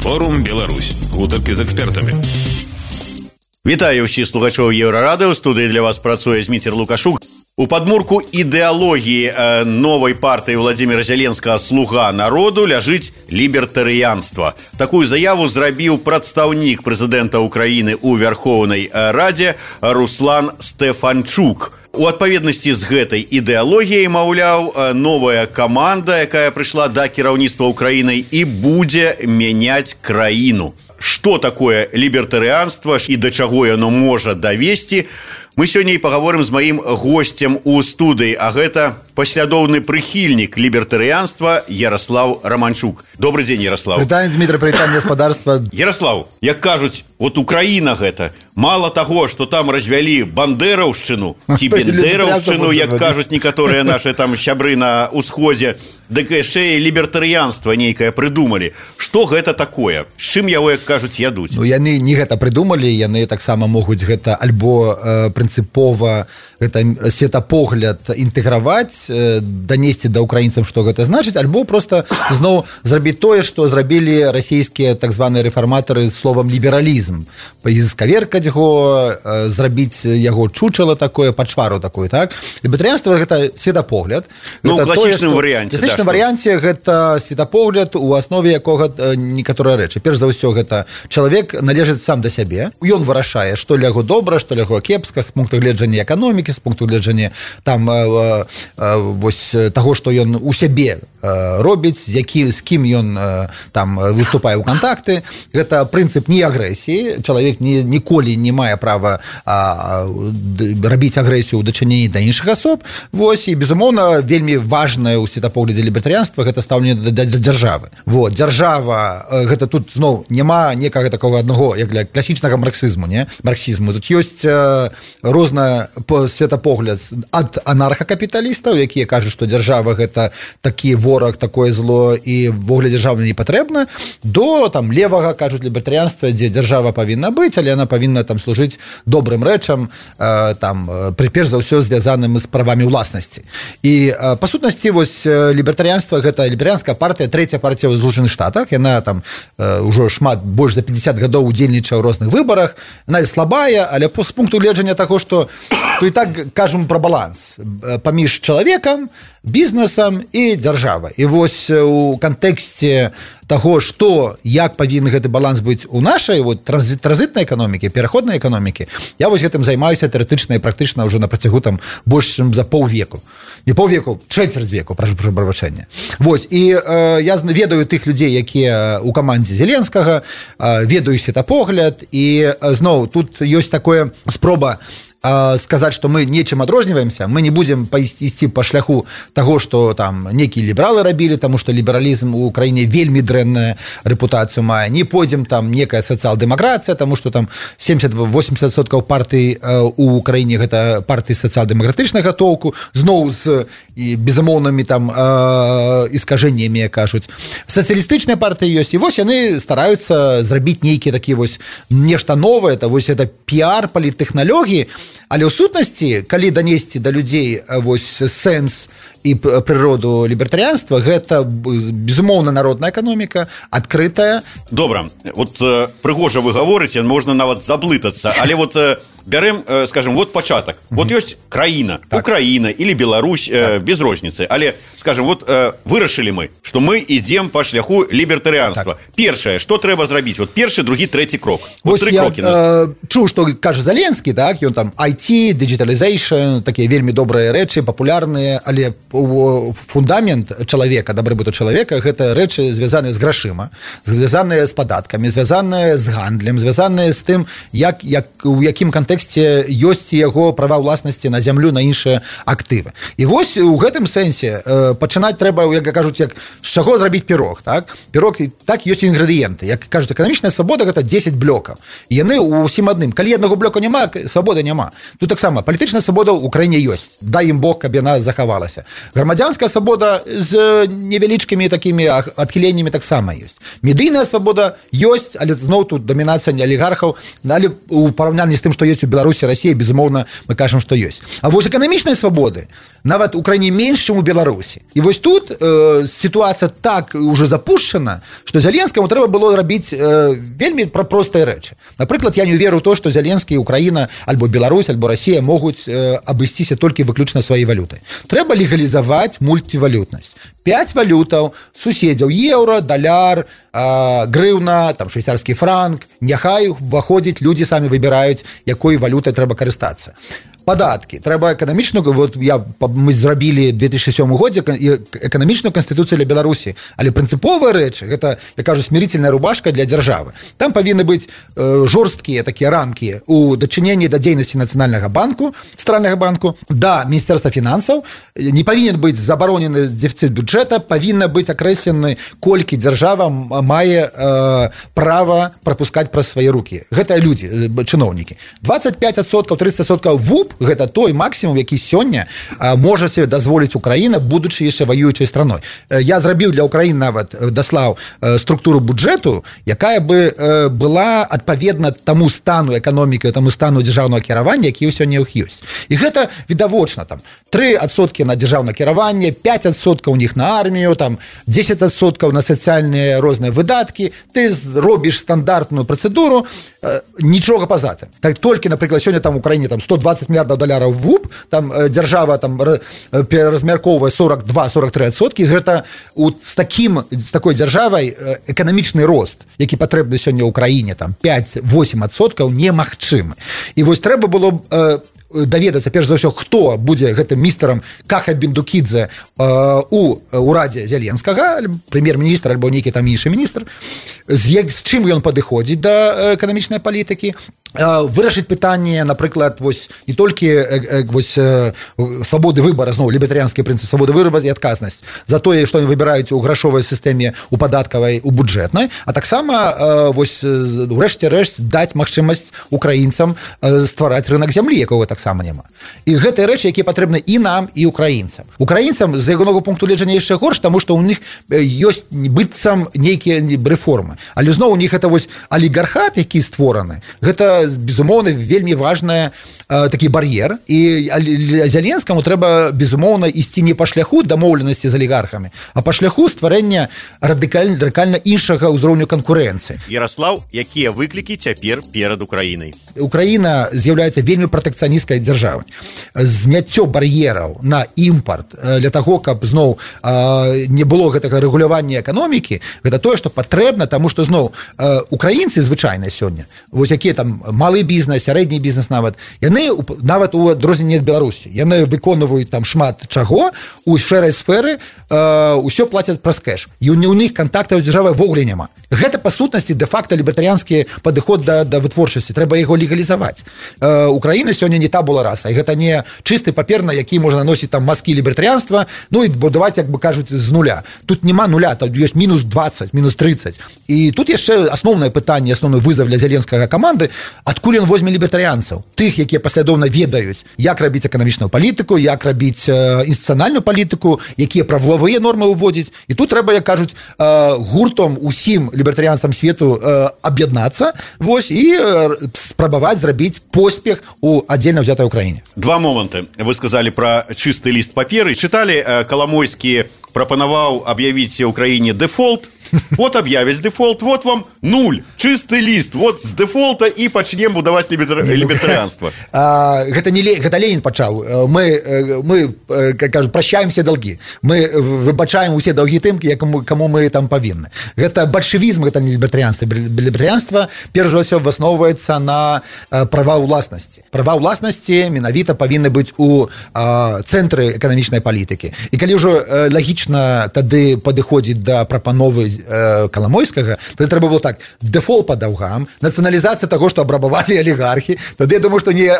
Форум Беларусь. Гутаркі з экспертамі. Вітаю ўсіх слухачоў Еўрарадыо. У студыі для вас працуе Зміцер Лукашук. У падмурку ідэалогіі новай партыі Владзіміра Зеленскага «Слуга народу» ляжыць лібертарыянства. Такую заяву зрабіў прадстаўнік прэзідэнта Украіны ў Вярхоўнай Радзе Руслан Стэфанчук. У адпаведнасці з гэтай ідэалогіяй, маўляў, новая каманда, якая прыйшла да кіраўніцтва Украінай і будзе мяняць краіну. Што такое лібертарыянства і да чаго яно можа давесці? Мы сёння і пагаворым з маім госцем у студыі, а гэта паслядоўны прыхільнік лібертарыянства Ярослав Романчук. Добрый дзень, Ярослав. Прывітанне, Дмітрый, прывітанне гаспадарства. Ярослав, як кажуць, вот Украіна гэта, мала таго, што там развялі бандэраўшчыну ці бендэраўшчыну, як кажуць некаторыя нашы там сябры на ўсходзе, дык яшчэ і лібертарыянства нейкае прыдумалі. Што гэта такое? З чым яго, як кажуць, ядуць? Ну, яны не гэта прыдумалі, яны таксама могуць гэта альбо прынцыпова гэта светапогляд інтэграваць, данесці да украінцам, што гэта значыць, альбо проста зноў зрабіць тое, што зрабілі расійскія так званыя рэфарматары з словам лібералізм. Скаверкаць яго, зрабіць яго чучала такое, пачвару такую, так? Лібертарыянства гэта светапогляд. Ну, ў класічным варыянце. У класічным варыянце гэта светапогляд, у аснове якога некаторыя рэчы. Перш за ўсё, гэта чалавек належыць сам да сябе. Ён вырашае, што для яго добра, што для яго кепска, з пункту гледжання эканомікі, з пункту гледжання там вось таго, што ён у сябе робіць, з кім ён там выступае ў кантакты. Гэта прынцып не агрэсіі. Чалавек ніколі не мае права рабіць агрэсію ў дачыненні да іншых асоб. Вось, і, безумоўна, вельмі важнае ў светапоглядзе лібертарыянства гэта стаўленне да дзяржавы. Вот, дзяржава, гэта тут зноў няма некага такога аднаго, як для класічнага марксізму, не? Марксізму. Тут ёсць розны светапогляд ад анархакапіталістаў, якія кажуць, што дзяржава гэта такі вораг, такое зло і ввогуле дзяржава не патрэбна, до там левага, кажуць, лібертарыянства, дзе дзяржава павінна быць, але яна павінна там служыць добрым рэчам, там перш за ўсё звязаным з правамі ўласнасці. І па сутнасці вось лібертарыянства гэта лібертарыянская партыя, трэцяя партыя ў Злучаных Штатах, яна там ўжо больш за 50 гадоў удзельнічае ў розных выбарах, яна слабая, але з пункту гледжання таго, што то і так кажам пра баланс паміж чалавекам, бізнесам і дзяржавай. І вось у кантэксце таго, што як павінен гэты баланс быць у нашай вот транзітнай эканомікі, пераходнай эканомікі, я вось гэтым займаюся тэарэтычна і практычна ўжо на працягу там больш чым за паўвеку. Не паўвеку, чвэрць веку, прашу прабачэння. Вось, і я ведаю тых людзей, якія ў камандзе Зеленскага, ведаю светапогляд, і зноў тут ёсць такое спроба сказаць, што мы нечым адрозніваемся, мы не будзем ісці па шляху таго, што там некія лібералы рабілі, таму што лібералізм у краіне вельмі дрэнная рэпутацыю мае. Не пойдзем там некая сацыял-дэмакратыя, таму што там 70-80% партый у краіне гэта партыі сацыял-дэмакратычнага толку, зноў з безумоўнымі там іскажэннямі, кажуць. Сацыялістычныя партыі ёсць, і вось яны стараюцца зрабіць нейкія такія вось нешта новае, вось это піар паліттэхналогіі. Але ў сутнасці, калі данесці да людзей вось сэнс і прыроду лібертарыянства, гэта безумоўна народная эканоміка, адкрытая. Добра, вот прыгожа вы гаворыце, можна нават заблытацца, але вот бярем, скажем, вот пачатак. Вот ёсць краіна, так. Украіна или Беларусь, так. Без розніцы. Але, скажем, вот вырашылі мы, што мы ідзем па шляху лібертарыянства. Так. Першае, што трэба зрабіць? Вот першы, другі, трэці крок. Вот тры крокі. Чуў, што кажа Зеленскі, так, ён там IT, digitalization, такія вельмі добрыя рэчы, папулярныя, але фундамент чалавека, дабрыбыту чалавека, гэта рэчы звязаныя з грашыма, звязаныя з падаткамі, звязаныя з гандлем, звязаныя з тым, у якім кантэксце ёсць яго права ўласнасці на зямлю, на іншыя актывы. І вось у гэтым сэнсе пачынаць трэба, як кажуць, як з чаго зрабіць пірог, так? Пірог, так, ёсць інгрэдыенты. Як кажуць, эканамічная свабода гэта 10 блокаў. І яны ўсім адным. Калі аднаго блока няма, свабоды няма. Тут таксама палітычная свабода ў краіне ёсць. Дай ім Бог, каб яна захавалася. Грамадзянская свабода з невялічкімі такімі адхіленнямі таксама ёсць. Медыйная свабода ёсць, але зноў тут дамінацыя алігархаў, але у параўнанні з тым, што ёсць у Беларусі, Россия, безумоўна, мы кажам, што ёсць. А вось эканамічныя свабоды нават у краіне менш, чым у Беларусі. І вось тут сітуацыя так уже запушчана, што Зеленскаму трэба было рабіць вельмі простыя рэчы. Напрыклад, я не веру ў то, што Зеленскі, Украіна, альбо Беларусь, альбо Россия могуць абысціся толькі выключна сваёй валютай. Трэба легалізаваць мультивалютнасць. 5 валютаў, суседзяў, еўра, даляр, грыўна, там швейцарскі франк, няхай уваходзіць, людзі самі выбіраюць, якой валютай трэба карыстацца. Падаткі. Трэба эканамічную, вот мы зрабілі 2007 годзе эканамічную канстытуцыю для Беларусі, але прынцыповыя рэчы, гэта, я кажу, смирительная рубашка для дзяржавы. Там павінны быць жорсткія такія рамкі у дачыненні да дзейнасці Нацыянальнага банку, Цэнтральнага банку, да Міністэрства фінансаў, не павінен быць забаронены дэфіцыт бюджэта, павінна быць акрэслены, колькі дзяржава мае права прапускаць праз свае рукі. Гэта людзі, чыноўнікі. 25%, 30% ВУП гэта той максімум, які сёння можа себе дазволіць Украіна, будучы яшчэ ваюючай страной. Я зрабіў для Украіны нават даслаў структуру бюджэту, якая бы была адпаведна таму стану эканомікі, таму стану дзяржаўнага кіравання, які сёння ў іх ёсць. І гэта відавочна, там 3% на дзяржаўнае кіраванне, 5% у них на армію, там 10% на сацыяльныя розныя выдаткі, ты робіш стандартную працэдуру, нічога па-за тым. Так толькі, напрыклад, сёння там у Украіне там 120 мільярдаў даляраў ВУП, там дзяржава там размяркоўвае 42-43%, і гэта з такой дзяржавай эканамічны рост, які патрэбны сёння ў Украіне, там 5-8% немагчымы. І вось трэба было даведацца, перш за ўсё, хто будзе гэтым містарам Каха Бендукідзе у ўрадзе Зеленскага, прэм'ер-міністр альбо нейкі там іншы міністр, з чым ён падыходзіць да эканамічнай палітыкі, вырашыць пытанне, напрыклад, вось не толькі вось свабоды выбара, зноў лібертарыянскі прынцып свабоды выбара і адказнасць за тое, што яны выбіраюць у грашовай сістэме, у падаткавай, у бюджэтнай, а таксама вось урэшце рэшт даць магчымасць украінцам ствараць рынак зямлі, якога таксама няма. І гэтыя рэчы, якія патрэбны і нам, і украінцам. Украінцам з ягонага пункту гледжання яшчэ горш, таму што ў них ёсць быццам нейкія рэформы. Але зноў у них гэта вось алігархат, які створаны, гэта безумоўна вельмі важная такі бар'ер, і Зеленскаму трэба безумоўна ісці не па шляху дамоўленасці з алігархамі, а па шляху стварэння радыкальна іншага ўзроўню канкурэнцыі. Ярослаў, якія выклікі цяпер перад Украінай? Украіна з'яўляецца вельмі пратэкцыянісцкай дзяржавай. Зняццё бар'ераў на імпарт для таго, каб зноў не было гэтага рэгулявання эканомікі, гэта тое, што патрэбна, таму што зноў украінцы звычайна сёння, вось якія там малы бізнес, сярэдні бізнес яны нават у адрозненні ад Беларусі, яны выконваюць там шмат чаго, у шэрай сферы ўсё плацяць праз кэш. І у них кантактаў з дзяржавай вогуле няма. Гэта па сутнасці дэ-факта лібертарыянскі падыход да вытворчасці, трэба яго легалізаваць. Украіна сёння не табула раса, і гэта не чысты папер, на які можна носіць там маскі лібертарыянства, ну і будаваць, як бы кажуць, з нуля. Тут няма нуля, тут ёсць мінус 20, мінус 30. І тут яшчэ асноўнае пытанне, асноўны вызов для зеленскага каманды, адкуль ён возьме лібертарыянцаў, тых, якія паслядоўна ведаюць, як рабіць эканамічную палітыку, як рабіць інстытуцыянальную палітыку, якія правовыя нормы ўводзіць. І тут трэба, як кажуць, гуртом усім лібертарыянцам свету аб'яднацца, вось, і спрабаваць зрабіць поспех у аддзельна ўзятай Украіне. Два моманты. Вы сказалі пра чысты ліст паперы. Чыталі, Каламойскі прапанаваў аб'явіць Украіне дэфолт. Вот объявить дефолт, вот вам нуль, чистый лист, вот с дефолта и почнем будовать либертарианство. Гэта Ленин пачаў. Мы кажу, прощаем все долги. Мы выбачаем усе долги тым, кому мы там павінны. Гэта бальшевізм, гэта не либертарианство. Либертарианство, перш за ўсё, основывается на права ўласнасці. Права ўласнасці менавіта павінны быць у цэнтры эканамічнай палітыкі. І калі ўжо лагічна тады падыходзіць да прапановы Каламойскага, тады трэба было так: дэфолт па даўгам, нацыяналізацыя таго, што абрабавалі алігархі. Тады я думаю, што ні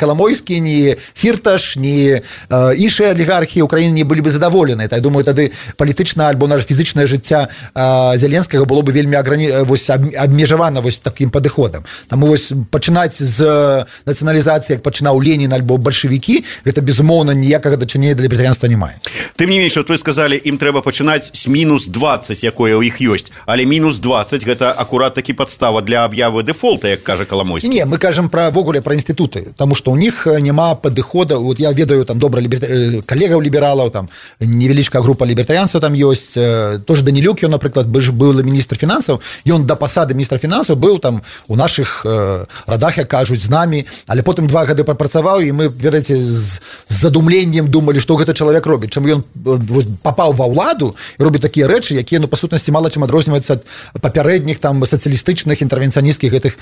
Каламойскі, ні Фірташ, ні іншыя алігархі Украіны не былі бы задаволены. Я думаю, тады палітычна альбо наше фізычнае жыцця Зеленскага было бы вельмі абмежавана такім падыходам. Таму пачынаць з нацыяналізацыі, як пачынаў Ленін альбо бальшавікі, гэта безумоўна ніякага дачынення да лібертарыянства не мае. Тым не менш, вы сказалі, ім трэба пачынаць з мінус 20 20, якое ў іх ёсць, але мінус 20 гэта акурат такі падстава для аб'явы дэфолта, як кажа Каламойскі. Не, мы кажам вогуле пра інстытуты, таму што ў них няма падыхода. Вот я ведаю там добра калегаў лібералаў, там невялічкая група лібертарыянцаў там ёсць, тоже Данілюк, ён, напрыклад, быў міністр фінансаў, ён да пасады міністра фінансаў быў там у нашых радах, як кажуць, з намі, але потым 2 гады прапрацаваў, і мы, ведаеце, з задумленнем думалі, што гэта чалавек робіць, чым ён папаў ва ўладу і робіць такія рэчы, якія, па сутнасці, мала чым адрозніваюцца ад папярэдніх там сацыялістычных інтэрвенцыянісцкіх гэтых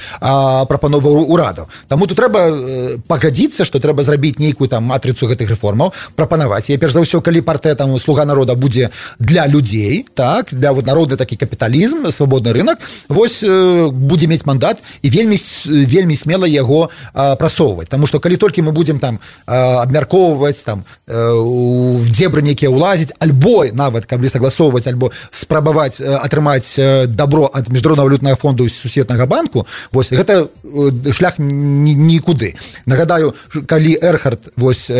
прапановаў урадаў. Таму тут трэба пагадзіцца, што трэба зрабіць нейкую там матрыцу гэтых рэформаў, прапанаваць. І перш за ўсё, калі партыя там Слуга народа будзе для людзей, так, для вот народны такі капіталізм, свабодны рынок, вось будзе мець мандат і вельмі смела яго прасоўваць. Таму што калі толькі мы будзем там абмяркоўваць, там у дзебры нейкія ўлазіць, альбо нават калі сагласоўваць, альбо спрабаваць атрымаць дабро ад міжнароднага валютнага фонду і сусветнага банку, вось гэта шлях нікуды. Нагадаю, калі Эрхард вось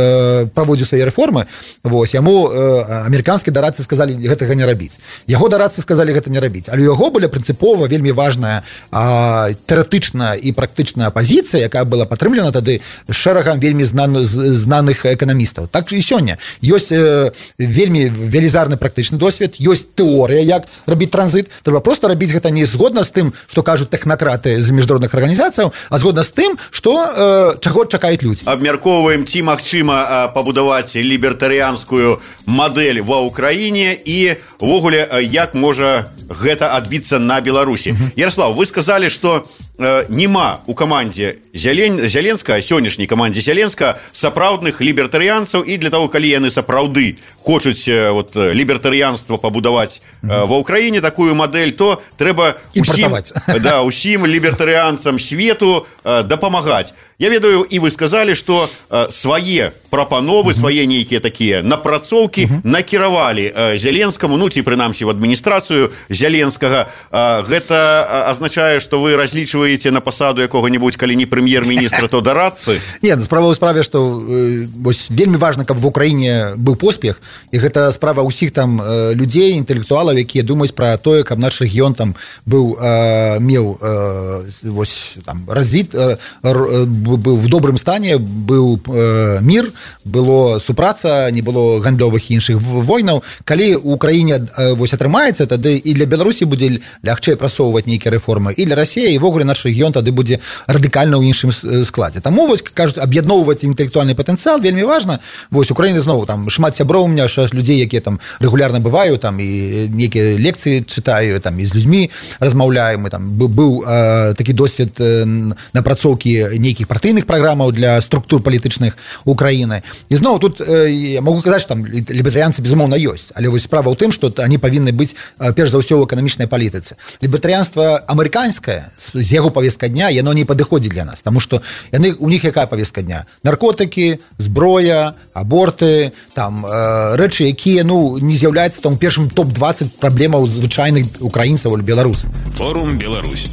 праводзіў свае рэформы, вось яму амерыканскія дарадцы сказалі гэтага не рабіць. Яго дарадцы сказалі гэта не рабіць. Але у яго была прынцыпова вельмі важная тэарэтычная і практычная пазіцыя, якая была падтрымлена тады шэрагам вельмі знаных эканамістаў. Так і сёння ёсць вельмі велізарны практычны досвед, ёсць тэорыя, як рабіць транзіт. Трэба проста рабіць гэта не згодна з тым, што кажуць тэхнакраты з міжнародных арганізацыяў, а згодна з тым, што чаго чакаюць людзі. Абмяркоўваем, ці магчыма пабудаваць лібертарыянскую мадэль ва ўкраіне і увогуле як можа гэта адбіцца на Беларусі. Ярослав, вы сказалі, што нема у камандзе Зяленска, сённяшняй камандзе Зяленска, сапраўдных лібертарыянцаў, і для таго, калі яны сапраўды хочуць лібертарыянства пабудаваць ва ўкраіне, такую мадэль, то трэба усім лібертарыянцам свету дапамагаць. Я ведаю, і вы сказалі, што свае прапановы, свае нейкія такія напрацоўкі накіравалі Зяленскаму, ну ці прынамсі в адміністрацыю Зяленскага. Гэта азначае, што вы разлічваеце на пасаду якога-небудзь, калі не прэм'ер-міністра, то дарадцы? Не, справа ў справе, што вельмі важна, каб в Украіне быў поспех, і гэта справа ўсіх там людзей, інтэлектуалаў, якія думаюць пра тое, каб наш рэгіён там быў, меў развіт, быў в добрым стане, быў мір, было супраца, не было гандлёвых і іншых войнаў. Калі ў Украіне атрымаецца, тады і для Беларусі будзе лягчэй прасоўваць нейкія рэформы, і для Расіі, і вогуле наш рэгіён тады будзе радыкальна ў іншым складзе. Таму, кажуць, аб'ядноўваць інтэлектуальны патэнцыял вельмі важна. Украіна зноў, там шмат сяброў у меня, людзей, якія там рэгулярна бываю, там і нейкія лекцыі чытаю, там і з людзьмі размаўляем. Быў такі досвед напрацоўкі нейкіх партыйных праграмаў для структур палітычных Украіны. І зноў тут я могу казаць, што там лібертарыянцы безумоўна ёсць, але вось справа ў тым, што они павінны быць перш за ўсё ў эканамічнай палітыцы. Лібертарыянства амерыканскае з яго павестка дня, яно не падыходзіць для нас, таму што у них якая павестка дня? Наркотыкі, зброя, аборты, там рэчы, якія не з'яўляюцца там у першым топ-20 праблемаў звычайных украінцаў или беларусаў. Форум Беларусь.